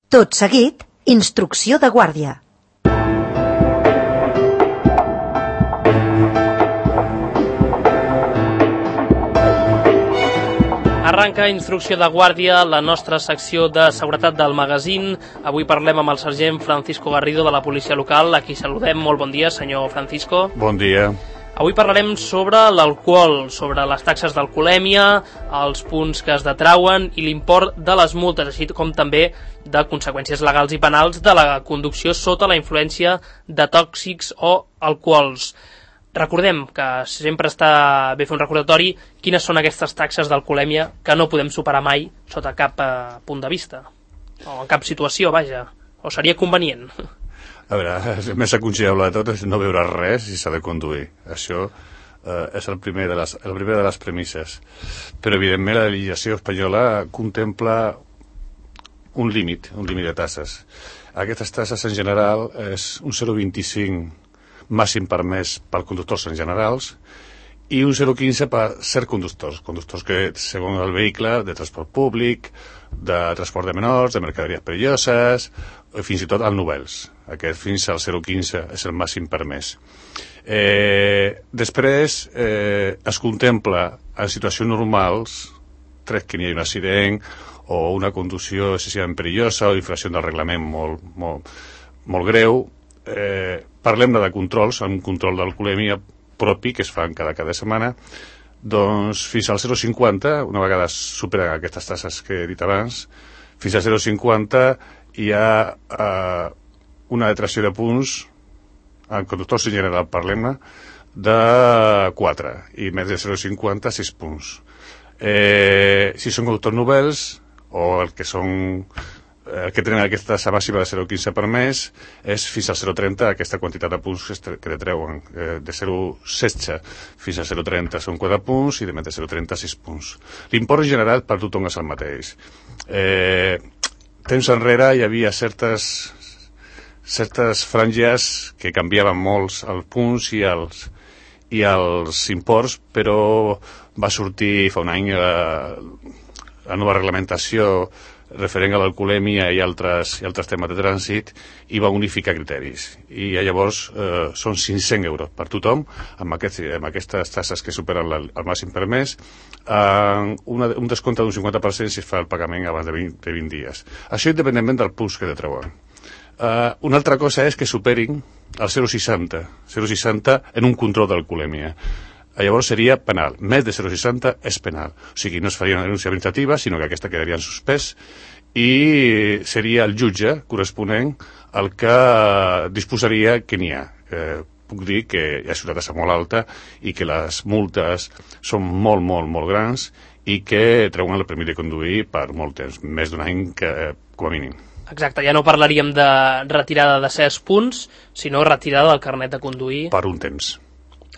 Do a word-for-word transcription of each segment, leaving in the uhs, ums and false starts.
Tot seguit, instrucció de guàrdia. Arranca Instrucció de Guàrdia, la nostra secció de seguretat del magazín. Avui parlem amb el sergent Francisco Garrido de la policia local, a qui saludem. Molt bon dia, senyor Francisco. Bon dia. Avui parlarem sobre l'alcohol, sobre les taxes d'alcoholèmia, els punts que es detrauen i l'import de les multes, així com també de conseqüències legals i penals de la conducció sota la influència de tòxics o alcohols. Recordem que sempre està bé fer un recordatori quines són aquestes taxes d'alcoholèmia que no podem superar mai sota cap eh, punt de vista, o en cap situació, vaja, o seria convenient. A veure, el més aconsellable de tot és no beure res i s'ha de conduir. Això eh, és el primer de les, el primer de les premisses. Però, evidentment, la legislació espanyola contempla un límit, un límit de tasses. Aquestes tasses, en general, és un zero coma vint-i-cinc màxim permès per conductors en generals i un zero coma quinze per cert conductors, conductors que, segons el vehicle, de transport públic, de transport de menors, de mercaderies perilloses, fins i tot al Novels. Aquest fins al zero coma quinze és el màxim permès. Eh, després eh, es contempla en situacions normals, tret que n'hi hagi un accident o una conducció excessivament perillosa o infracció del reglament molt, molt, molt greu, eh, parlem-ne de controls, un control d'alcoholèmia propi que es fan cada cada setmana, doncs fins al zero coma cinquanta, una vegada superen aquestes tasses que he dit abans, fins al zero coma cinquanta hi ha eh, una detracció de punts, en conductors en general parlem-ne, de quatre, i més de zero coma cinquanta, sis punts. Eh, si són conductors novels, o el que són el que tenen aquesta tassa màxima de zero coma quinze per mes, és fins al zero coma trenta aquesta quantitat de punts que detreuen. Eh, de zero coma setze fins a zero coma trenta són quatre punts i de més de zero coma trenta sis punts. L'import general per tothom és el mateix. Eh, temps enrere hi havia certes certes franges que canviaven molts els punts i els, i els imports, però va sortir fa un any la, la nova reglamentació referent a l'alcoholèmia i altres, i altres temes de trànsit i va unificar criteris. I llavors eh, són cinc-cents euros per tothom amb, aquest, amb aquestes tasses que superen la, el màxim permès, eh, una, un descompte d'un cinquanta per cent si es fa el pagament abans de vint, de vint dies. Això independentment del punts que detreuen. Uh, una altra cosa és que superin el zero coma seixanta, zero coma seixanta en un control d'alcoholèmia. Llavors seria penal. Més de zero coma seixanta és penal. O sigui, no es faria una denúncia administrativa, sinó que aquesta quedaria en suspès i seria el jutge corresponent el que disposaria que n'hi ha. Eh, puc dir que hi ha ciutat molt alta i que les multes són molt, molt, molt grans i que treuen el permís de conduir per molt temps, més d'un any que, eh, com a mínim. Exacte, ja no parlaríem de retirada de certs punts, sinó retirada del carnet de conduir. Per un temps.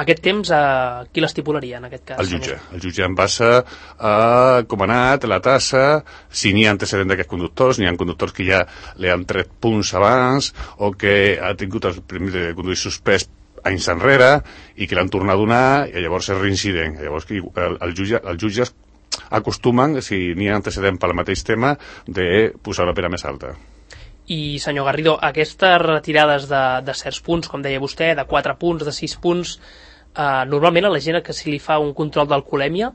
Aquest temps, a qui l'estipularia, en aquest cas? El jutge. El jutge en base a com ha anat la tassa, si n'hi ha antecedent d'aquests conductors, n'hi ha conductors que ja li han tret punts abans, o que ha tingut el permís de conduir suspès anys enrere, i que l'han tornat a donar, i llavors és reincident. Llavors el, el jutge, el jutge acostumen, si n'hi ha antecedent pel mateix tema, de posar una pena més alta. I, senyor Garrido, aquestes retirades de, de certs punts, com deia vostè, de quatre punts, de sis punts, eh, normalment a la gent que si li fa un control d'alcoholèmia,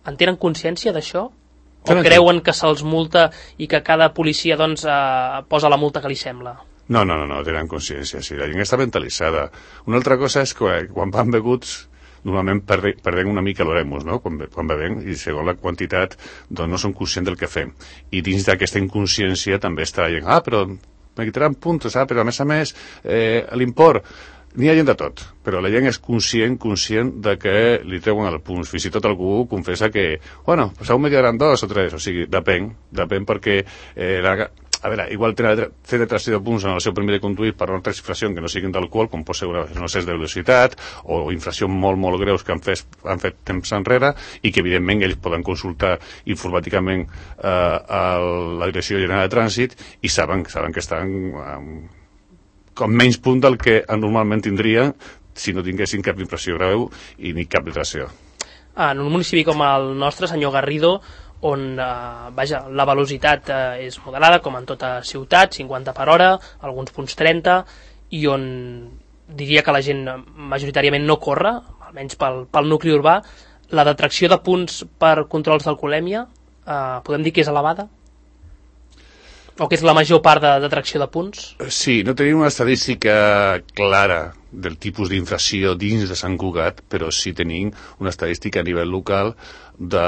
en tenen consciència d'això? O tenen creuen que se'ls multa i que cada policia doncs, eh, posa la multa que li sembla? No, no, no, no tenen consciència. Sí, la gent està mentalitzada. Una altra cosa és que quan van beguts normalment perdem una mica l'oremus, no? Quan, quan bevem, i segons la quantitat doncs no som conscients del que fem. I dins d'aquesta inconsciència també està la gent, ah, però me quitaran puntos, ah, però a més a més eh, l'import, n'hi ha gent de tot, però la gent és conscient, conscient de que li treuen el punt. Fins i tot algú confessa que, bueno, pues aún me quedaran dos o tres, o sigui, depèn, depèn perquè eh, la, a veure, igual té detracció de punts en el seu permís de conduir per una altra infracció que no siguin d'alcohol, com pot ser un excés de velocitat o infraccions molt, molt greus que han fet, han fet temps enrere i que, evidentment, ells poden consultar informàticament eh, a la Direcció General de Trànsit i saben, saben que estan eh, com menys punt del que normalment tindrien si no tinguessin cap infracció greu i ni cap detracció. En un municipi com el nostre, senyor Garrido, on eh, vaja, la velocitat eh, és moderada, com en tota ciutat, cinquanta per hora, alguns punts trenta, i on diria que la gent majoritàriament no corre, almenys pel, pel nucli urbà. La detracció de punts per controls d'alcoholèmia, eh, podem dir que és elevada? O que és la major part de detracció de punts? Sí, no tenim una estadística clara del tipus d'infracció dins de Sant Cugat, però sí tenim una estadística a nivell local de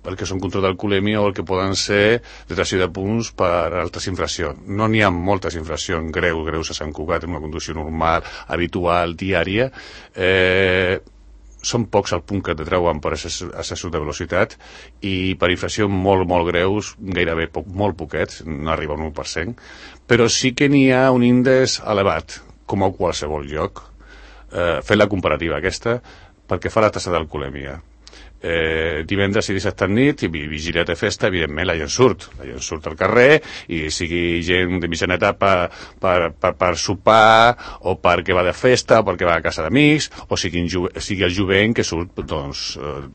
el que són control d'alcoholèmia o el que poden ser detracció de punts per altres infraccions. No n'hi ha moltes infraccions greus, greus a Sant Cugat, en una conducció normal, habitual, diària. Eh... Són pocs el punt que te treuen per excessos de velocitat i per infraccions molt, molt greus, gairebé poc, molt poquets, no arriba a un u per cent, però sí que n'hi ha un índex elevat, com a qualsevol lloc, eh, fent la comparativa aquesta, perquè fa la tassa d'alcoholèmia. Eh, divendres i dissabte nit i vigília de festa, evidentment la gent surt la gent surt al carrer, i sigui gent de mitjana etapa per, per, per sopar o perquè va de festa o perquè va a casa d'amics, o sigui, sigui el jovent que surt doncs, eh,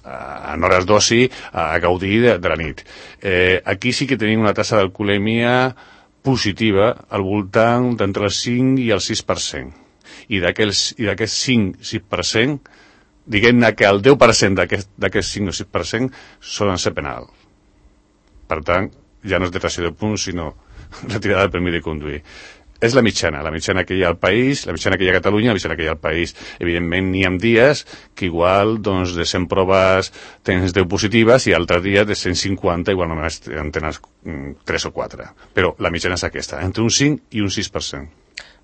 en hores d'oci a, a gaudir de, de la nit. Eh, aquí sí que tenim una tassa d'alcoholèmia positiva al voltant d'entre el cinc i el sis per cent, i d'aquest cinc sis per cent diguem-ne que el deu per cent d'aquest cinc o sis per cent solen ser penal. Per tant, ja no és detracció de punts, sinó retirada del permís de conduir. És la mitjana, la mitjana que hi ha al país, la mitjana que hi ha a Catalunya, la mitjana que hi ha al país. Evidentment, n'hi ha dies que igual doncs, de cent proves tens deu positives i altres dies de cent cinquanta igual només en tens tres o quatre. Però la mitjana és aquesta, entre un cinc i un sis per cent.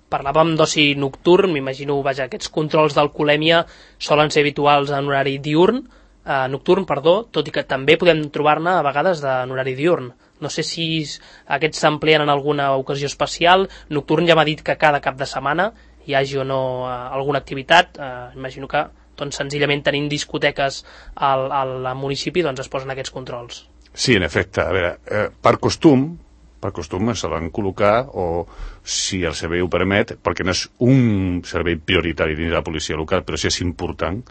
Parlàvem d'oci nocturn, m'imagino, vaja, aquests controls d'alcoholèmia solen ser habituals en horari diurn, eh, nocturn, perdó, tot i que també podem trobar-ne a vegades en horari diurn. No sé si aquests s'empleen en alguna ocasió especial. Nocturn ja m'ha dit que cada cap de setmana hi hagi o no eh, alguna activitat. Eh, imagino que doncs, senzillament tenint discoteques al, al municipi doncs, es posen aquests controls. Sí, en efecte. A veure, eh, per costum, per costum se van col·locar, o si el servei ho permet, perquè no és un servei prioritari dins de la policia local, però sí és important,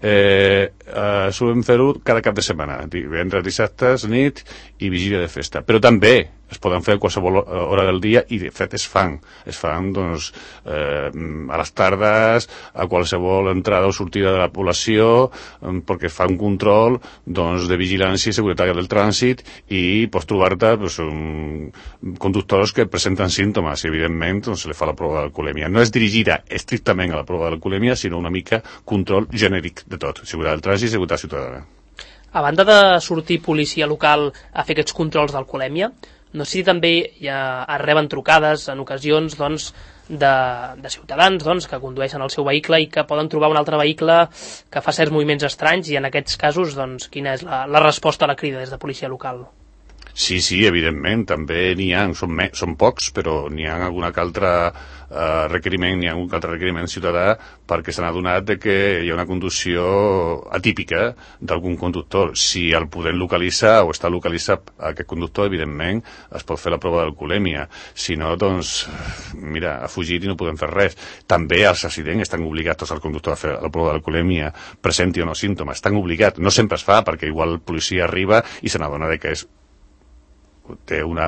eh, eh, solem fer-ho cada cap de setmana, divendres, dissabtes, nit i vigília de festa. Però també es poden fer a qualsevol hora del dia, i de fet es fan. Es fan doncs, eh, a les tardes, a qualsevol entrada o sortida de la població, eh, perquè es fa un control doncs, de vigilància i seguretat del trànsit, i pots trobar-te doncs, un, conductors que presenten símptomes, i evidentment doncs, se li fa la prova d'alcoholèmia. No és dirigida estrictament a la prova d'alcoholèmia, sinó una mica control genèric de tot, seguretat del trànsit i seguretat ciutadana. A banda de sortir policia local a fer aquests controls d'alcoholèmia, no sé si també ja es reben trucades en ocasions doncs, de, de ciutadans doncs, que condueixen el seu vehicle i que poden trobar un altre vehicle que fa certs moviments estranys, i en aquests casos doncs, quina és la, la resposta a la crida des de policia local? Sí, sí, evidentment, també n'hi ha, són, me, són pocs, però n'hi ha algun altre eh, requeriment, n'hi ha algun altre requeriment ciutadà, perquè s'han adonat de que hi ha una conducció atípica d'algun conductor. Si el podem localitzar o està localitzat aquest conductor, evidentment es pot fer la prova d'alcoholèmia. Si no, doncs, mira, ha fugit i no podem fer res. També els accidents estan obligats tots els conductors a fer la prova d'alcoholèmia, presenti o no símptomes, estan obligats. No sempre es fa, perquè igual el policia arriba i se n'adona de que és té una,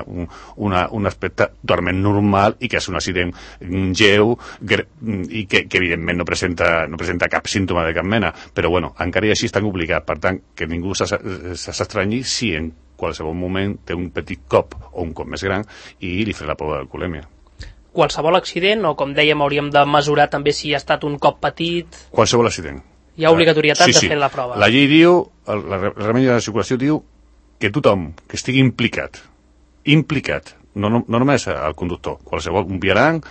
una, un aspecte totalment normal i que és un accident lleu i que, que evidentment no presenta, no presenta cap símptoma de cap mena, però bueno, encara i així estan obligats. Per tant, que ningú s'estranyi si en qualsevol moment té un petit cop o un cop més gran i li fa la prova d'alcoholèmia. Qualsevol accident, o com dèiem hauríem de mesurar també si ha estat un cop petit? Qualsevol accident. Hi ha obligatorietat sí, sí. de fer la prova. La llei diu, el, el reglament de la circulació diu que tothom que estigui implicat, implicat, no, no, no només el conductor, qualsevol, un vianant,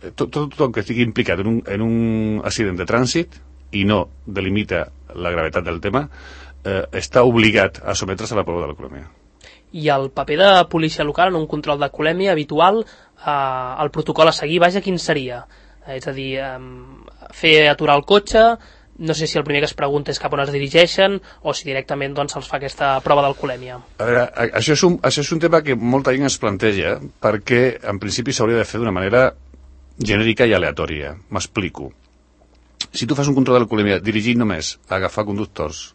tot, tot, tothom que estigui implicat en un, en un accident de trànsit i no delimita la gravetat del tema, eh, està obligat a sometre's a la prova de l'alcoholèmia. I el paper de policia local en un control d'alcoholèmia habitual, eh, el protocol a seguir, vaja, quin seria? Eh, és a dir, eh, fer aturar el cotxe. No sé si el primer que es pregunta és cap on es dirigeixen o si directament doncs, se'ls fa aquesta prova d'alcoholèmia. A veure, això és, un, això és un tema que molta gent es planteja, perquè en principi s'hauria de fer d'una manera genèrica i aleatòria. M'explico. Si tu fas un control d'alcoholèmia dirigit només a agafar conductors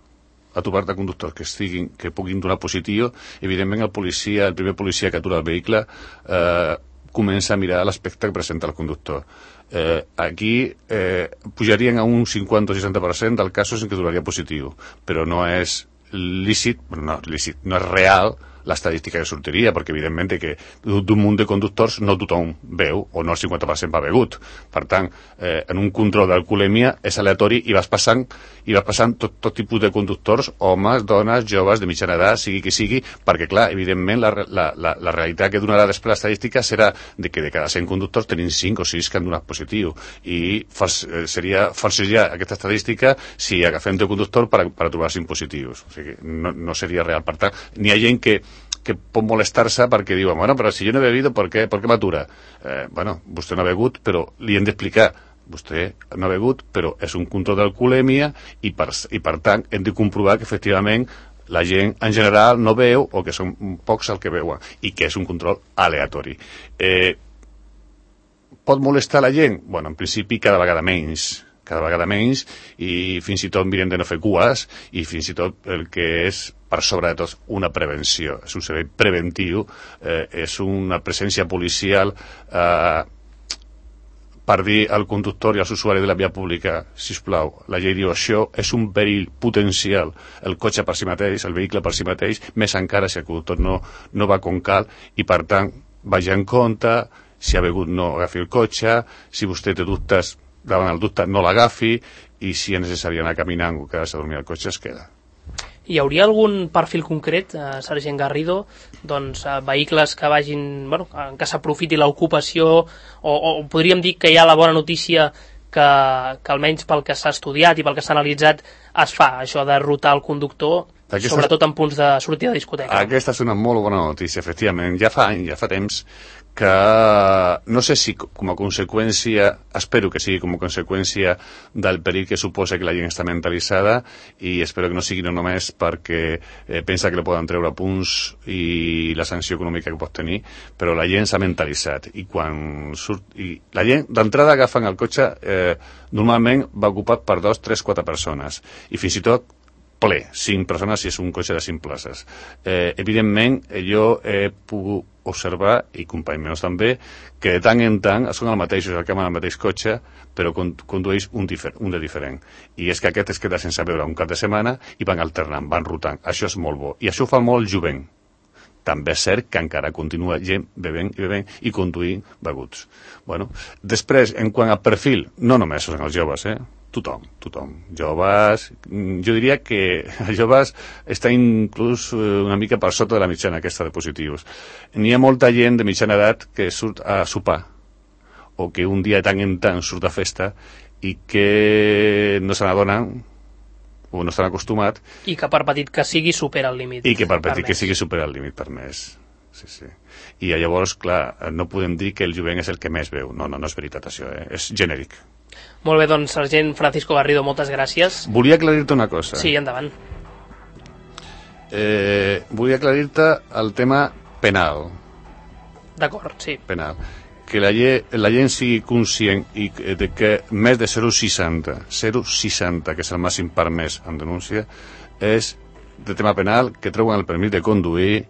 a trobar-te conductors que estiguin, que puguin donar positiu, evidentment el policia, el primer policia que atura el vehicle eh, comença a mirar l'aspecte que presenta el conductor. Eh, aquí eh, pujarien a un cinquanta o seixanta per cent dels casos en què donaria positiu, però no és lícit, no, lícit, no és real l'estadística que sortiria, perquè evidentment que d'un munt de conductors no tothom veu, o no el cinquanta per cent va begut. Per tant, eh, en un control d'alcoholèmia és aleatori i vas passant i vas passant tot, tot tipus de conductors, homes, dones, joves, de mitjana edat, sigui qui sigui, perquè clar, evidentment la, la, la, la realitat que donarà després l'estadística serà de que de cada cent conductors tenim cinc o sis que han donat positiu, i fals, eh, seria falsejar aquesta estadística si agafem de conductor per, per trobar cinc positius. O sigui, no, no seria real. Per tant, n'hi ha gent que que pot molestar-se perquè diuen, bueno, però si jo no he bebido, ¿por qué, ¿por qué m'atura? Eh, bueno, vostè no ha begut, però li hem d'explicar, vostè no ha begut, però és un control d'alcoholèmia i, per, i per tant hem de comprovar que efectivament la gent en general no veu o que són pocs el que veuen i que és un control aleatori. Eh, pot molestar la gent? Bueno, en principi cada vegada menys, cada vegada menys, i fins i tot mirem de no fer cues, i fins i tot el que és per sobre de tot una prevenció, és un servei preventiu, eh, és una presència policial eh, per dir al conductor i als usuaris de la via pública, sisplau, la llei diu això és un perill potencial, el cotxe per si mateix, el vehicle per si mateix, més encara si el conductor no, no va com cal, i per tant vagi en compte, si ha begut no agafi el cotxe, si vostè té dubtes davant el dubte no l'agafi, i si és necessari anar caminant o quedar-se a dormir al cotxe es queda. Hi hauria algun perfil concret, eh, sergent Garrido, doncs eh, vehicles que vagin, bueno, que s'aprofiti l'ocupació, o, o podríem dir que hi ha la bona notícia que, que almenys pel que s'ha estudiat i pel que s'ha analitzat es fa, això de rotar el conductor, aquesta, sobretot en punts de sortida de discoteca. Aquesta és una molt bona notícia, efectivament. Ja fa anys, ja fa temps que no sé si com a conseqüència, espero que sigui com a conseqüència del perill que suposa que la gent està mentalitzada, i espero que no sigui no només perquè eh, pensa que li poden treure punts i la sanció econòmica que pot tenir, però la gent s'ha mentalitzat, i quan surt i la gent d'entrada agafen el cotxe eh, normalment va ocupat per dos, tres, quatre persones, i fins i tot ple, cinc persones si és un cotxe de cinc places. Eh, evidentment, jo he pogut observar, i companys meus també, que de tant en tant són els mateixos, el que amb el mateix cotxe, però condueix un, difer un de diferent. I és que aquest es queda sense veure un cap de setmana i van alternant, van rotant. Això és molt bo. I això fa molt jovent. També és cert que encara continua gent bevent i bevent i conduint beguts. Bueno, després, en quant a perfil, no només són els joves, eh? Tothom, tothom. Joves, jo diria que els joves està inclús una mica per sota de la mitjana aquesta de positius. N'hi ha molta gent de mitjana edat que surt a sopar, o que un dia de tant en tant surt a festa i que no se n'adonen o no estan acostumats. I que per petit que sigui supera el límit. I que per petit que sigui supera el límit permès. Sí, sí. I llavors, clar, no podem dir que el jovent és el que més veu. No, no, no és veritat això, eh? És genèric. Molt bé, doncs, sergent Francisco Garrido, moltes gràcies. Volia aclarir-te una cosa. Sí, endavant. Eh, volia aclarir-te el tema penal. D'acord, sí. Penal. Que la, lle la gent sigui conscient i de que més de zero coma seixanta, zero coma seixanta, que és el màxim permès en denúncia, és de tema penal, que treuen el permís de conduir,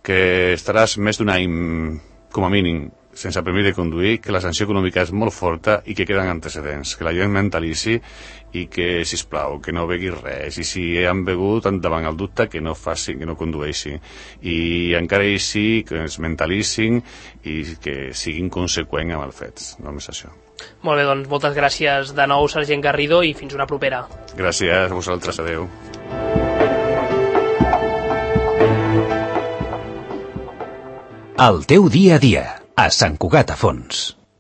que estaràs més d'un any, com a mínim, sense permís de conduir, que la sanció econòmica és molt forta i que queden antecedents, que la gent mentalitzi i que, sisplau, que no begui res, i si han begut davant el dubte, que no facin, que no condueixin, i encara així que es mentalitzin i que siguin conseqüents amb els fets, només això. Molt bé, doncs moltes gràcies de nou, sergent Garrido, i fins una propera. Gràcies a vosaltres, adeu. El teu dia a dia, a Sant Cugat a Fons.